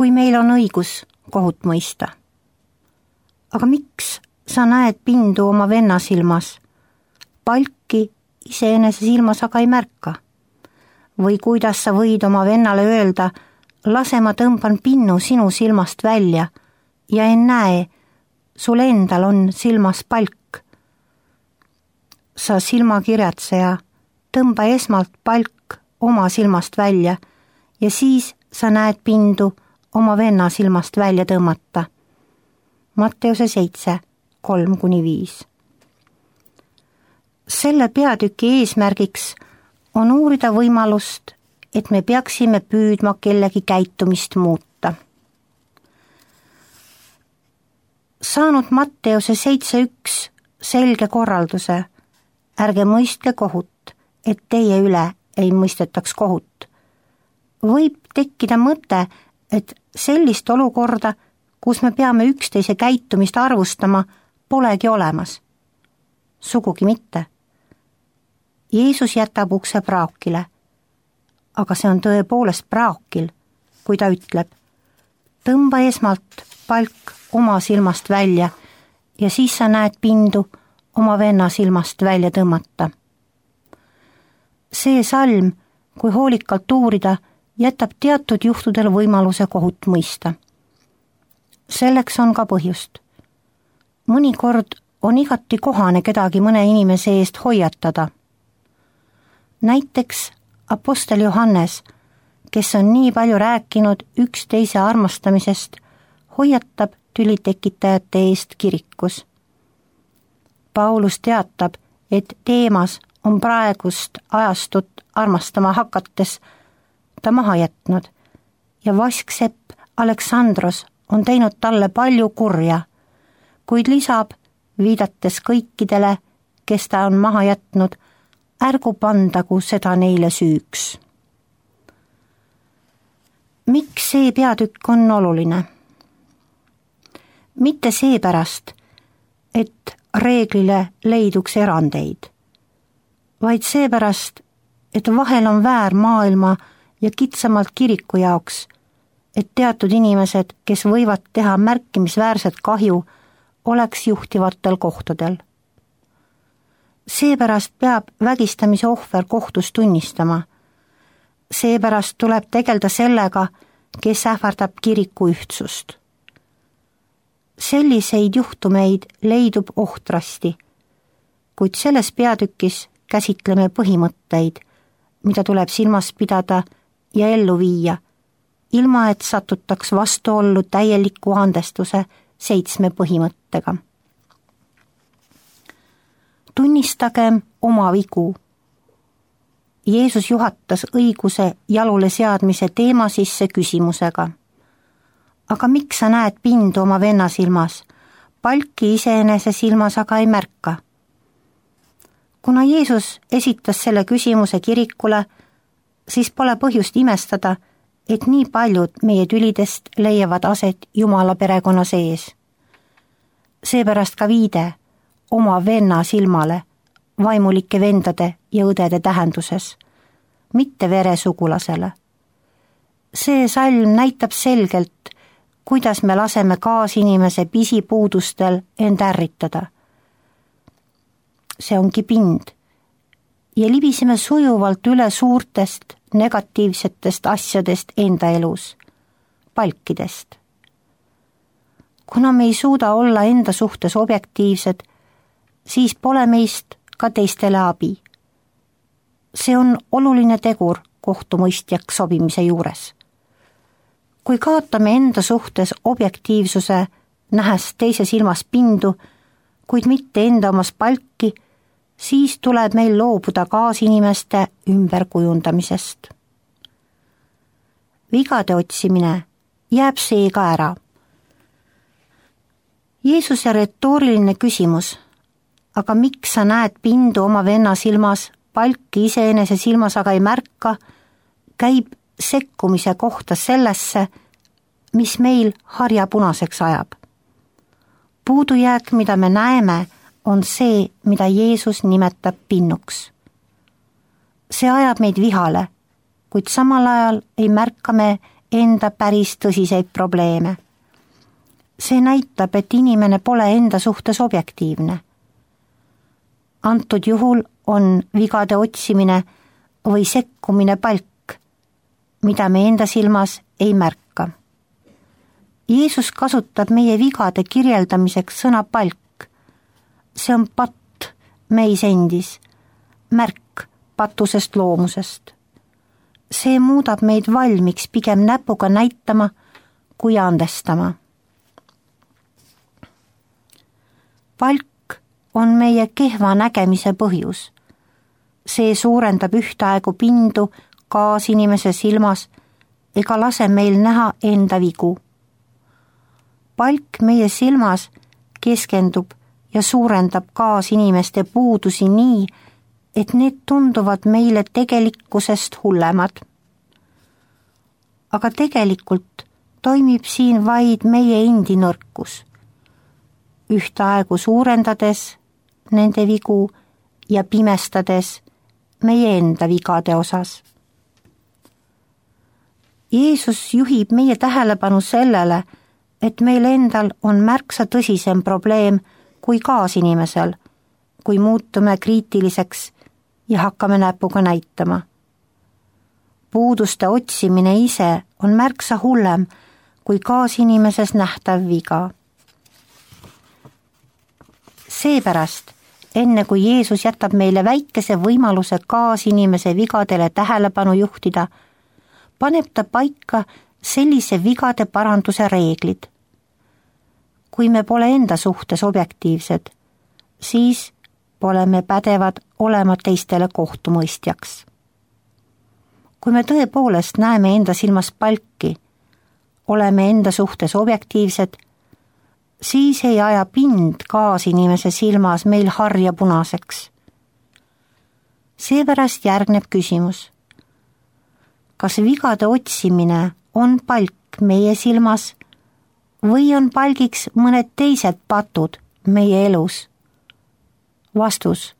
kui meil on õigus kohut mõista. Aga miks sa näed pindu oma venna silmas? Palki iseenese silmas aga ei märka. Või kuidas sa võid oma vennale öelda, lase ma tõmban pinnu sinu silmast välja ja ennäe, sul endal on silmas palk. Sa silmakirjatseja, tõmba esmalt palk oma silmast välja ja siis sa näed pindu oma venna silmast välja tõmmata. Matteuse 7, 3-5. Selle peatüki eesmärgiks on uurida võimalust, et me peaksime püüdma kellegi käitumist muuta. Saanud Matteuse 7.1 selge korralduse, ärge mõistke kohut, et teie üle ei mõistetaks kohut. Võib tekkida mõte, et sellist olukorda, kus me peame üksteise käitumist arvustama, polegi olemas. Sugugi mitte. Jeesus jätab ukse praakile, aga see on tõepoolest praakil, kui ta ütleb, tõmba esmalt palk oma silmast välja ja siis sa näed pindu oma venna silmast välja tõmmata. See salm, kui hoolikalt uurida, jätab teatud juhtudel võimaluse kohut mõista. Selleks on ka põhjust. Mõnikord on igati kohane kedagi mõne inimese eest hoiatada. Näiteks apostel Johannes, kes on nii palju rääkinud üksteise armastamisest, hoiatab tülitekitajate eest kirikus. Paulus teatab, et Teemas on praegust ajastut armastama hakates ta maha jätnud ja vasksepp Aleksandros on teinud talle palju kurja, kuid lisab, viidates kõikidele, kes ta on maha jätnud, ärgu pandagu seda neile süüks. Miks see peatükk on oluline? Mitte seepärast, et reeglile leiduks erandeid, vaid seepärast, et vahel on väär maailma ja kitsamalt kiriku jaoks, et teatud inimesed, kes võivad teha märkimisväärset kahju, oleks juhtivatel kohtadel. Seepärast peab vägistamise ohver kohtus tunnistama. Seepärast tuleb tegelda sellega, kes ähvardab kiriku ühtsust. Selliseid juhtumeid leidub ohtrasti, kuid selles peatükis käsitleme põhimõtteid, mida tuleb silmas pidada ja ellu viia, ilma et satutaks vastuollu täieliku andestuse 7 põhimõttega. Tunnistagem oma vigu. Jeesus juhatas õiguse jalule seadmise teema sisse küsimusega. Aga miks sa näed pindu oma venna silmas? Palki iseenese silmas aga ei märka. Kuna Jeesus esitas selle küsimuse kirikule, siis pole põhjust imestada, et nii paljud meie tülidest leiavad aset Jumala perekonna sees. Seepärast ka viide oma venna silmale vaimulike vendade ja õdede tähenduses, mitte veresugulasele. See salm näitab selgelt, kuidas me laseme kaasinimese pisipuudustel end ärritada. See ongi pind ja libiseme sujuvalt üle suurtest negatiivsetest asjadest enda elus, palkidest. Kuna me ei suuda olla enda suhtes objektiivsed, siis pole meist ka teistele abi. See on oluline tegur kohtumõistjaks sobimise juures. Kui kaotame enda suhtes objektiivsuse, nähes teise silmas pindu, kuid mitte enda omas palki, siis tuleb meil loobuda kaasinimeste ümberkujundamisest. Vigade otsimine jääb seega ära. Jeesuse retooriline küsimus, aga miks sa näed pindu oma venna silmas, palki iseenese silmas aga ei märka, käib sekkumise kohta sellesse, mis meil harja punaseks ajab. Puudujääk, mida me näeme, on see, mida Jeesus nimetab pinnuks. See ajab meid vihale, kuid samal ajal ei märka me enda päris tõsiseid probleeme. See näitab, et inimene pole enda suhtes objektiivne. Antud juhul on vigade otsimine või sekkumine palk, mida me enda silmas ei märka. Jeesus kasutab meie vigade kirjeldamiseks sõna palk. See on patt meis endis, märk patusest loomusest. See muudab meid valmiks pigem näpuga näitama kui andestama. Palk on meie kehva nägemise põhjus. See suurendab ühtaegu pindu kaasinimese silmas ega lase meil näha enda vigu. Palk meie silmas keskendub ja suurendab kaasinimeste puudusi nii, et need tunduvad meile tegelikkusest hullemad. Aga tegelikult toimib siin vaid meie endi nõrkus, ühtaegu suurendades nende vigu ja pimestades meie enda vigade osas. Jeesus juhib meie tähelepanu sellele, et meil endal on märksa tõsisem probleem kui kaasinimesel, kui muutume kriitiliseks ja hakkame näpuga näitama. Puuduste otsimine ise on märksa hullem kui kaasinimises nähtav viga. Seepärast, enne kui Jeesus jätab meile väikese võimaluse kaasinimese vigadele tähelepanu juhtida, paneb ta paika sellise vigade paranduse reeglid. Kui me pole enda suhtes objektiivsed, siis pole me pädevad olema teistele kohtumõistjaks. Kui me tõepoolest näeme enda silmas palki, oleme enda suhtes objektiivsed, siis ei aja pind kaasinimese silmas meil harja punaseks. Seepärast järgneb küsimus. Kas vigade otsimine on palk meie silmas või on palgiks mõned teised patud meie elus? Vastus,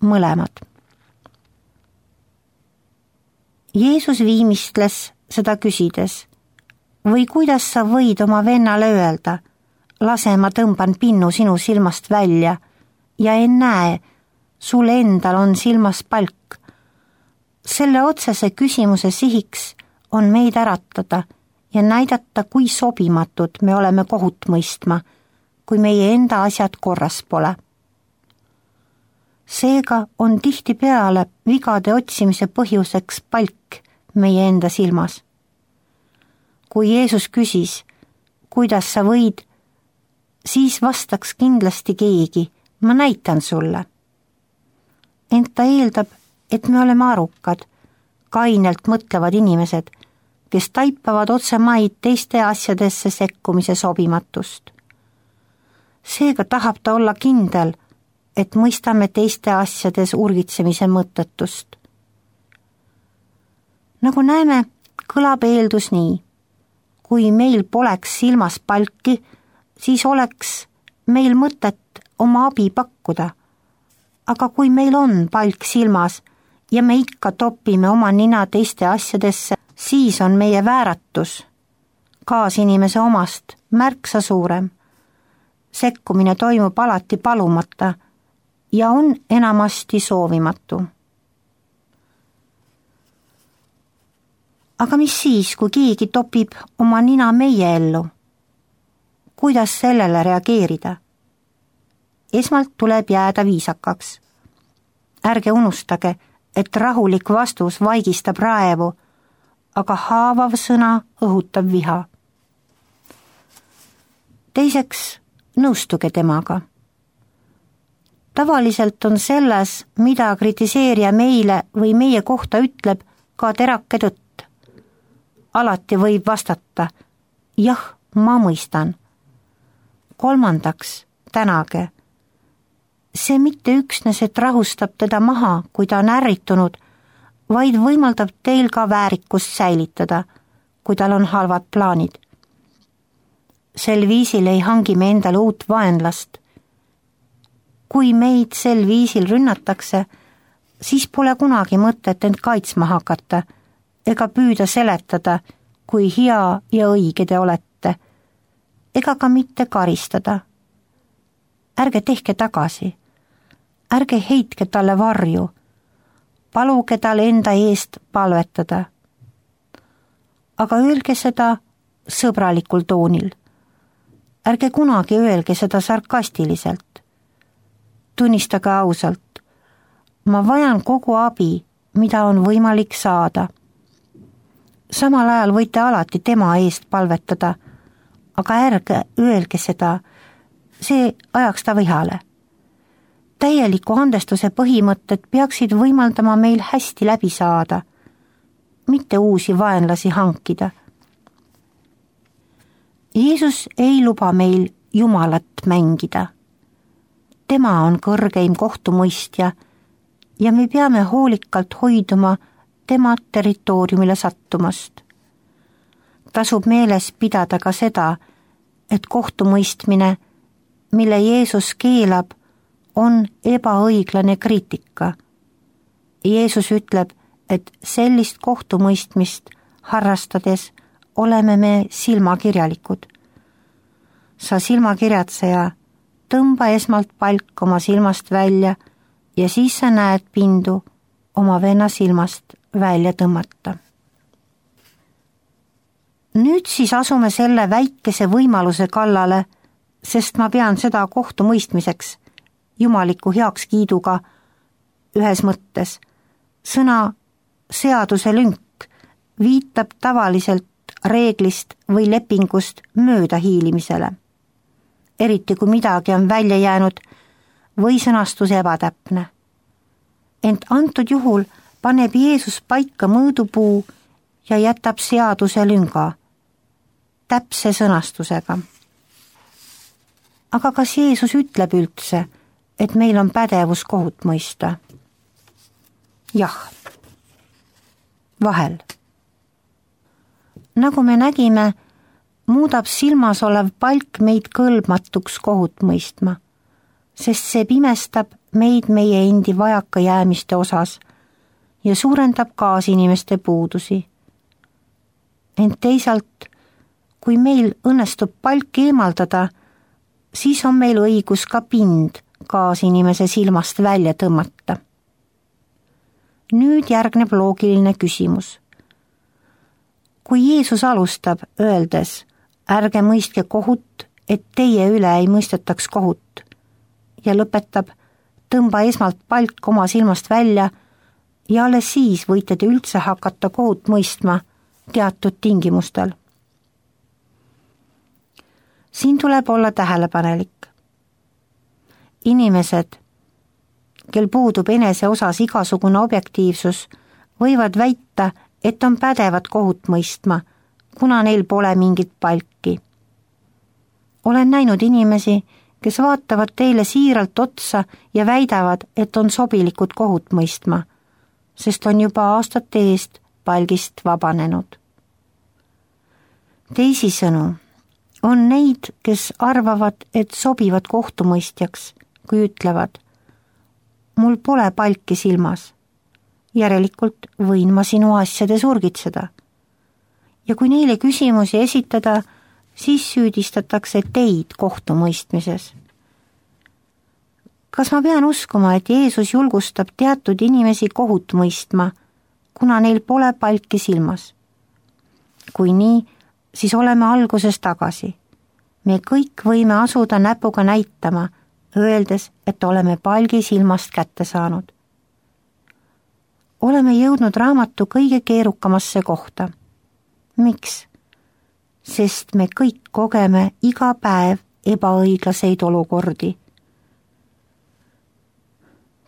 mõlemad. Jeesus viimistles seda küsides, või kuidas sa võid oma vennale öelda, lase ma tõmban pinnu sinu silmast välja ja ennäe, sul endal on silmas palk. Selle otsese küsimuse sihiks on meid äratada ja näidata, kui sobimatud me oleme kohut mõistma, kui meie enda asjad korras pole. Seega on tihtipeale vigade otsimise põhjuseks palk meie enda silmas. Kui Jeesus küsis, kuidas sa võid, siis vastaks kindlasti keegi, ma näitan sulle. Ent ta eeldab, et me oleme arukad, kainelt mõtlevad inimesed, kes taipavad otsemaid teiste asjadesse sekkumise sobimatust. Seega tahab ta olla kindel, et mõistame teiste asjades urgitsemise mõttetust. Nagu näeme, kõlab eeldus nii. Kui meil poleks silmas palki, siis oleks meil mõtet oma abi pakkuda. Aga kui meil on palk silmas ja me ikka topime oma nina teiste asjadesse, siis on meie vääratus kaasinimese omast märksa suurem. Sekkumine toimub alati palumata ja on enamasti soovimatu. Aga mis siis, kui keegi topib oma nina meie ellu? Kuidas sellele reageerida? Esmalt tuleb jääda viisakaks. Ärge unustage, et rahulik vastus vaigistab raevu, aga haavav sõna õhutab viha. Teiseks, nõustuge temaga. Tavaliselt on selles, mida kritiseerija meile või meie kohta ütleb, ka terake tõtt. Alati võib vastata, jah, ma mõistan. Kolmandaks, tänage. See mitte üksnes, et rahustab teda maha, kui ta on ärritunud, vaid võimaldab teil ka väärikust säilitada, kui tal on halvad plaanid. Sel viisil ei hangi me endale uut vaenlast. Kui meid sel viisil rünnatakse, siis pole kunagi mõtet end kaitsma hakata ega püüda seletada, kui hea ja õige te olete, ega ka mitte karistada. Ärge tehke tagasi, ärge heitke talle varju, paluge tal enda eest palvetada. Aga öelge seda sõbralikul toonil. Ärge kunagi öelge seda sarkastiliselt. Tunnistage ausalt, ma vajan kogu abi, mida on võimalik saada. Samal ajal võite alati tema eest palvetada, aga ärge öelge seda, see ajaks ta vihale. Täieliku andestuse põhimõtted peaksid võimaldama meil hästi läbi saada, mitte uusi vaenlasi hankida. Jeesus ei luba meil Jumalat mängida. Tema on kõrgeim kohtumõistja ja me peame hoolikalt hoiduma tema territooriumile sattumast. Tasub meeles pidada ka seda, et kohtumõistmine, mille Jeesus keelab, on ebaõiglane kriitika. Jeesus ütleb, et sellist kohtumõistmist harrastades oleme me silmakirjalikud. Sa silmakirjatseja, tõmba esmalt palk oma silmast välja ja siis sa näed pindu oma venna silmast välja tõmmata. Nüüd siis asume selle väikese võimaluse kallale, sest ma pean seda kohtumõistmiseks, jumaliku heakskiiduga ühes mõttes. Sõna seaduse lünk viitab tavaliselt reeglist või lepingust möödahiilimisele. Eriti kui midagi on välja jäänud või sõnastus ebatäpne. Ent antud juhul paneb Jeesus paika mõõdupuu ja jätab seaduse lünga täpse sõnastusega. Aga kas Jeesus ütleb üldse, et meil on pädevus kohut mõista? Jah, vahel. Nagu me nägime, muudab silmas olev palk meid kõlbmatuks kohut mõistma, sest see pimestab meid meie endi vajakajäämiste osas ja suurendab kaasinimeste puudusi. Ent teisalt, kui meil õnnestub palk eemaldada, siis on meil õigus ka pind kaasinimese silmast välja tõmmata. Nüüd järgneb loogiline küsimus. Kui Jeesus alustab öeldes, ärge mõistke kohut, et teie üle ei mõistetaks kohut, ja lõpetab, tõmba esmalt palk oma silmast välja ja alles siis võite te üldse hakata kohut mõistma teatud tingimustel. Siin tuleb olla tähelepanelik. Inimesed, kel puudub enese osas igasugune objektiivsus, võivad väita, et on pädevad kohut mõistma, kuna neil pole mingit palki. Olen näinud inimesi, kes vaatavad teile siiralt otsa ja väidavad, et on sobilikud kohut mõistma, sest on juba aastate eest palgist vabanenud. Teisisõnu, on neid, kes arvavad, et sobivad kohtumõistjaks, kui ütlevad, mul pole palki silmas, järelikult võin ma sinu asjades urgitseda. Ja kui neile küsimusi esitada, siis süüdistatakse teid kohtumõistmises. Kas ma pean uskuma, et Jeesus julgustab teatud inimesi kohut mõistma, kuna neil pole palki silmas? Kui nii, siis oleme alguses tagasi. Me kõik võime asuda näpuga näitama, öeldes, et oleme palgi silmast kätte saanud. Oleme jõudnud raamatu kõige keerukamasse kohta. Miks? Sest me kõik kogeme iga päev ebaõiglaseid olukordi.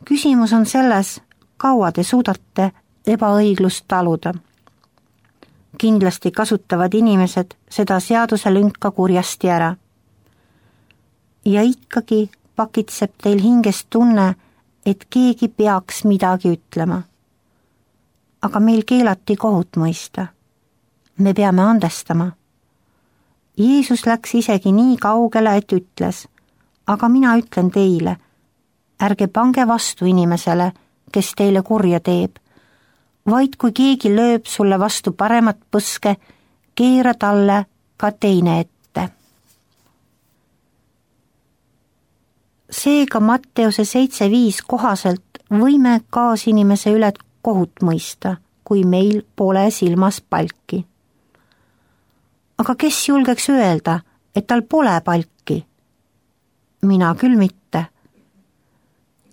Küsimus on selles, kaua te suudate ebaõiglust taluda. Kindlasti kasutavad inimesed seda seaduselünka kurjasti ära. Ja ikkagi pakitseb teil hingest tunne, et keegi peaks midagi ütlema. Aga meil keelati kohut mõista. Me peame andestama. Jeesus läks isegi nii kaugele, et ütles, aga mina ütlen teile, ärge pange vastu inimesele, kes teile kurja teeb, vaid kui keegi lööb sulle vastu paremat põske, keera talle ka teine ette. Seega Matteuse 7:5 kohaselt võime kaasinimese üle kohut mõista, kui meil pole silmas palki. Aga kes julgeks öelda, et tal pole palki? Mina küll mitte.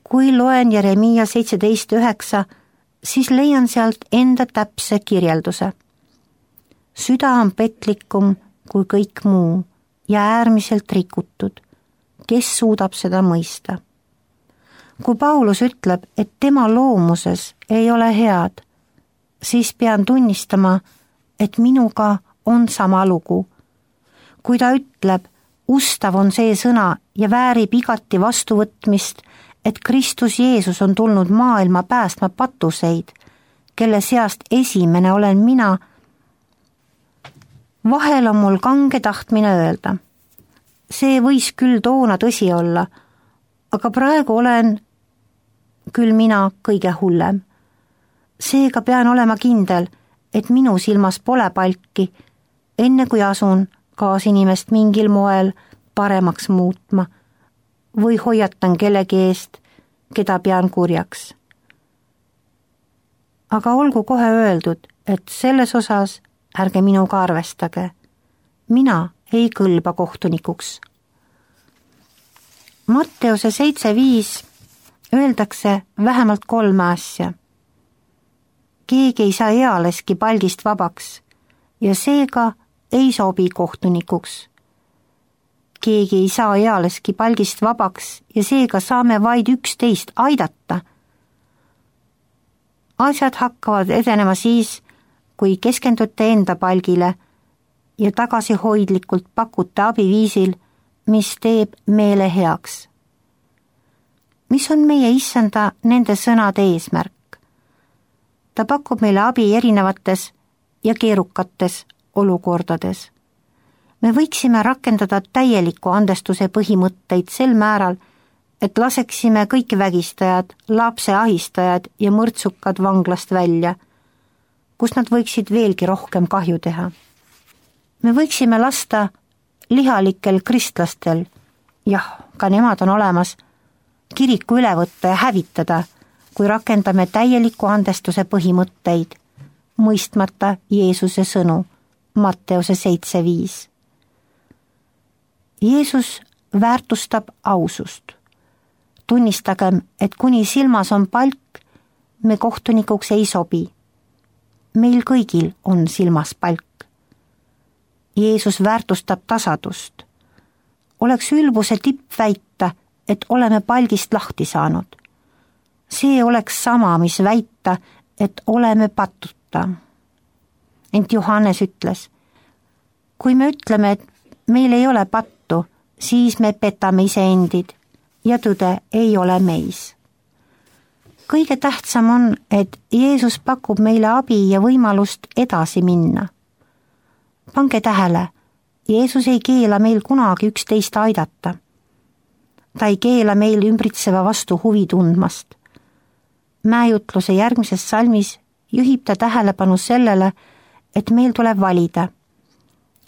Kui loen Jeremiia 17:9, siis leian sealt enda täpse kirjelduse. Süda on petlikum kui kõik muu ja äärmiselt rikutud. Kes suudab seda mõista? Kui Paulus ütleb, et tema loomuses ei ole head, siis pean tunnistama, et minuga on sama lugu. Kui ta ütleb, ustav on see sõna ja väärib igati vastuvõtmist, et Kristus Jeesus on tulnud maailma päästma patuseid, kelle seast esimene olen mina, vahel on mul kange tahtmine öelda. See võis küll toona tõsi olla, aga praegu olen küll mina kõige hullem. Seega pean olema kindel, et minu silmas pole palki, enne kui asun kaasinimest mingil moel paremaks muutma või hoiatan kellegi eest, keda pean kurjaks. Aga olgu kohe öeldud, et selles osas ärge minuga arvestage. Mina ei kõlba kohtunikuks. Matteuse 7:5 öeldakse vähemalt 3 asja. Keegi ei saa ealeski palgist vabaks ja seega ei sobi kohtunikuks. Keegi ei saa ealeski palgist vabaks ja seega saame vaid üksteist aidata. Asjad hakkavad edenema siis, kui keskendute enda palgile ja tagasihoidlikult pakute abiviisil, mis teeb meele heaks. Mis on meie issanda nende sõnade eesmärk? Ta pakub meile abi erinevates ja keerukates olukordades. Me võiksime rakendada täieliku andestuse põhimõtteid sel määral, et laseksime kõik vägistajad, lapse ahistajad ja mõrtsukad vanglast välja, kus nad võiksid veelgi rohkem kahju teha. Me võiksime lasta lihalikel kristlastel, jah, ka nemad on olemas, kiriku üle võtta ja hävitada, kui rakendame täieliku andestuse põhimõtteid, mõistmata Jeesuse sõnu, Matteuse 7:5. Jeesus väärtustab ausust. Tunnistagem, et kuni silmas on palk, me kohtunikuks ei sobi. Meil kõigil on silmas palk. Jeesus väärtustab tasadust. Oleks ülbuse tipp väita, et oleme palgist lahti saanud. See oleks sama, mis väita, et oleme patuta. Ent Johannes ütles, kui me ütleme, et meil ei ole pattu, siis me petame iseendid ja tõde ei ole meis. Kõige tähtsam on, et Jeesus pakub meile abi ja võimalust edasi minna. Pange tähele, Jeesus ei keela meil kunagi üksteist aidata. Ta ei keela meil ümbritseva vastu huvi tundmast. Mäejutluse järgmises salmis juhib ta tähelepanu sellele, et meil tuleb valida.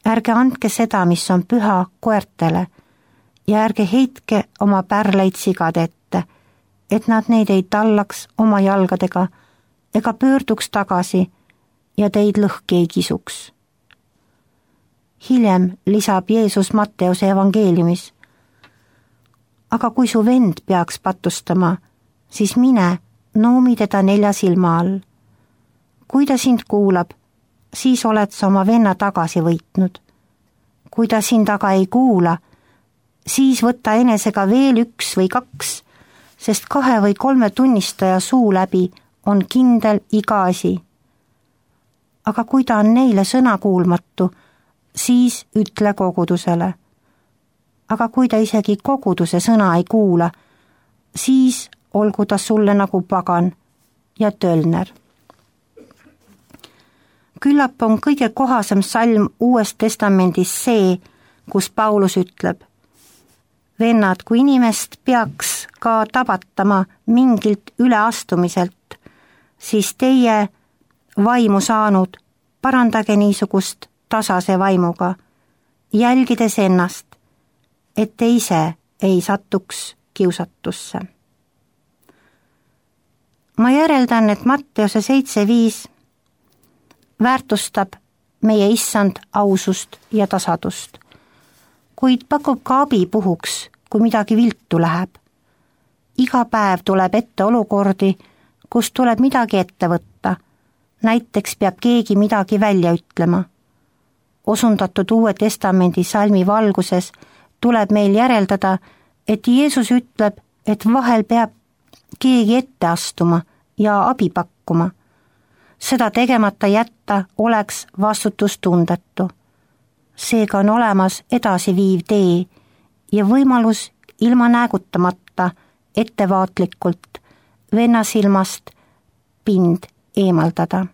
Ärge andke seda, mis on püha, koertele ja ärge heitke oma pärleid sigade ette, et nad neid ei tallaks oma jalgadega ega pöörduks tagasi ja teid lõhki ei kisuks. Hiljem lisab Jeesus Matteuse evangeeliumis, aga kui su vend peaks patustama, siis mine, noomi teda 4 silma all. Kui ta sind kuulab, siis oled sa oma venna tagasi võitnud. Kui ta sind aga ei kuula, siis võta enesega veel 1 või 2, sest 2 või 3 tunnistaja suu läbi on kindel iga asi. Aga kui ta on neile sõnakuulmatu, siis ütle kogudusele. Aga kui ta isegi koguduse sõna ei kuula, siis olgu ta sulle nagu pagan ja tölner. Küllap on kõige kohasem salm Uues Testamendis see, kus Paulus ütleb, vennad, kui inimest peaks ka tabatama mingilt üleastumiselt, siis teie vaimu saanud, parandage niisugust tasase vaimuga, jälgides ennast, et te ise ei satuks kiusatusse. Ma järeldan, et Matteuse 7.5 väärtustab meie issand ausust ja tasadust, kuid pakub ka abi puhuks, kui midagi viltu läheb. Iga päev tuleb ette olukordi, kus tuleb midagi ette võtta. Näiteks peab keegi midagi välja ütlema. Osundatud Uue Testamendi salmi valguses tuleb meil järeldada, et Jeesus ütleb, et vahel peab keegi ette astuma ja abi pakkuma. Seda tegemata jätta oleks vastutustundetu. Seega on olemas edasiviiv tee ja võimalus ilma näägutamata ettevaatlikult venna silmast pind eemaldada.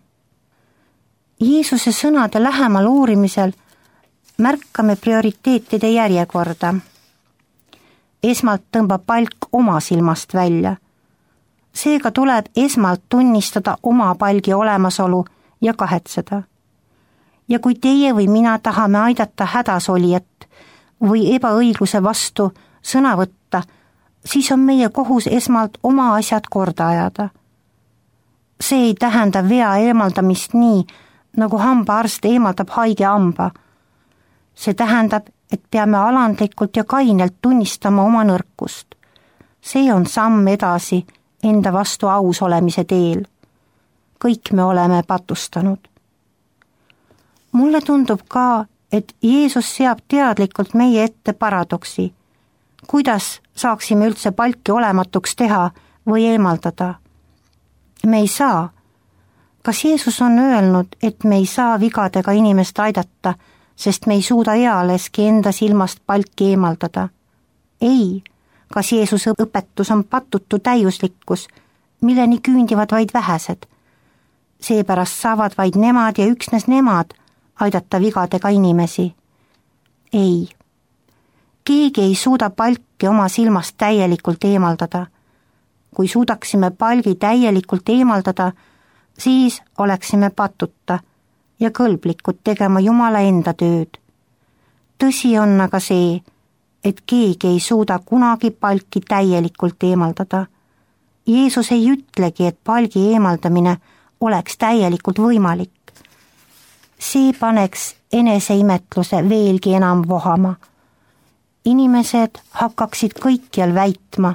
Jeesuse sõnade lähemal uurimisel märkame prioriteetide järjekorda. Esmalt tõmbab palk oma silmast välja. Seega tuleb esmalt tunnistada oma palgi olemasolu ja kahetseda. Ja kui teie või mina tahame aidata hädasolijat või ebaõigluse vastu sõna võtta, siis on meie kohus esmalt oma asjad korda ajada. See ei tähenda vea eemaldamist nii, nagu hambaarst eemaldab haige hamba. See tähendab, et peame alandlikult ja kainelt tunnistama oma nõrkust. See on samm edasi enda vastu aus olemise teel. Kõik me oleme patustanud. Mulle tundub ka, et Jeesus seab teadlikult meie ette paradoksi. Kuidas saaksime üldse palki olematuks teha või eemaldada? Me ei saa. Kas Jeesus on öelnud, et me ei saa vigadega inimest aidata, sest me ei suuda ealeski enda silmast palki eemaldada? Ei. Kas Jeesuse õpetus on patutu täiuslikkus, milleni küündivad vaid vähesed? Seepärast saavad vaid nemad ja üksnes nemad aidata vigadega inimesi. Ei. Keegi ei suuda palki oma silmast täielikult eemaldada. Kui suudaksime palgi täielikult eemaldada, siis oleksime patuta ja kõlblikud tegema Jumala enda tööd. Tõsi on aga see, et keegi ei suuda kunagi palki täielikult eemaldada. Jeesus ei ütlegi, et palgi eemaldamine oleks täielikult võimalik. See paneks eneseimetluse veelgi enam vohama. Inimesed hakkaksid kõikjal väitma,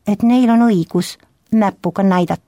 et neil on õigus näpuga näidata.